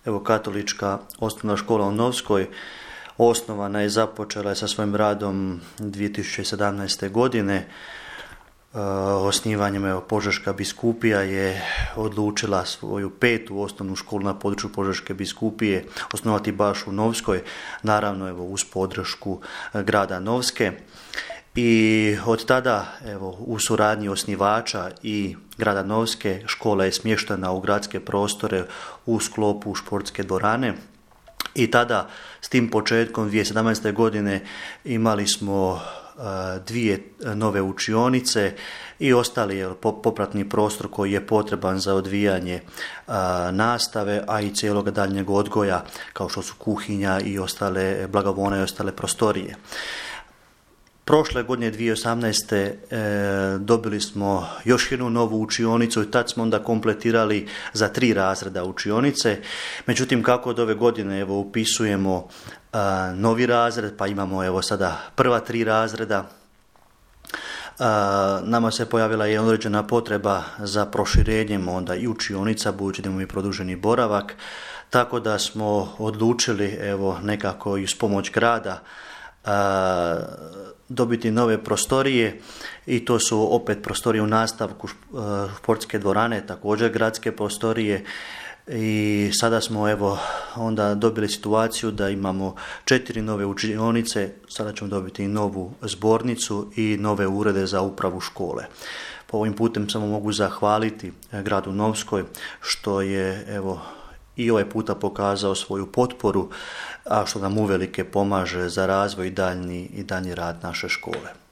Evo, katolička osnovna škola u Novskoj osnovana je, započela je sa svojim radom 2017. godine. Osnivanjem Požeška biskupija je odlučila svoju 5. osnovnu školu na području Požeške biskupije osnovati baš u Novskoj, naravno uz podršku grada Novske. I od tada, u suradnji osnivača i grada Novske, škola je smještena u gradske prostore u sklopu športske dvorane. I tada, s tim početkom 2017. godine, imali smo 2 nove učionice i ostali popratni prostor koji je potreban za odvijanje nastave, a i cijelog daljnjeg odgoja, kao što su kuhinja i ostale blagovone i ostale prostorije. Prošle godine 2018. Dobili smo još jednu novu učionicu i tad smo onda kompletirali za 3 razreda učionice. Međutim, kako od ove godine upisujemo novi razred, pa imamo sada prva 3 razreda, nama se pojavila i određena potreba za proširenjem onda i učionica, budući da imamo i produženi boravak, tako da smo odlučili nekako i uz pomoć grada dobiti nove prostorije, i to su opet prostorije u nastavku športske dvorane, također gradske prostorije. I sada smo onda dobili situaciju da imamo 4 nove učionice, sada ćemo dobiti i novu zbornicu i nove urede za upravu škole. Po ovim putem samo mogu zahvaliti gradu Novskoj što je i ovaj puta pokazao svoju potporu, a što nam uvelike pomaže za razvoj i daljnji rad naše škole.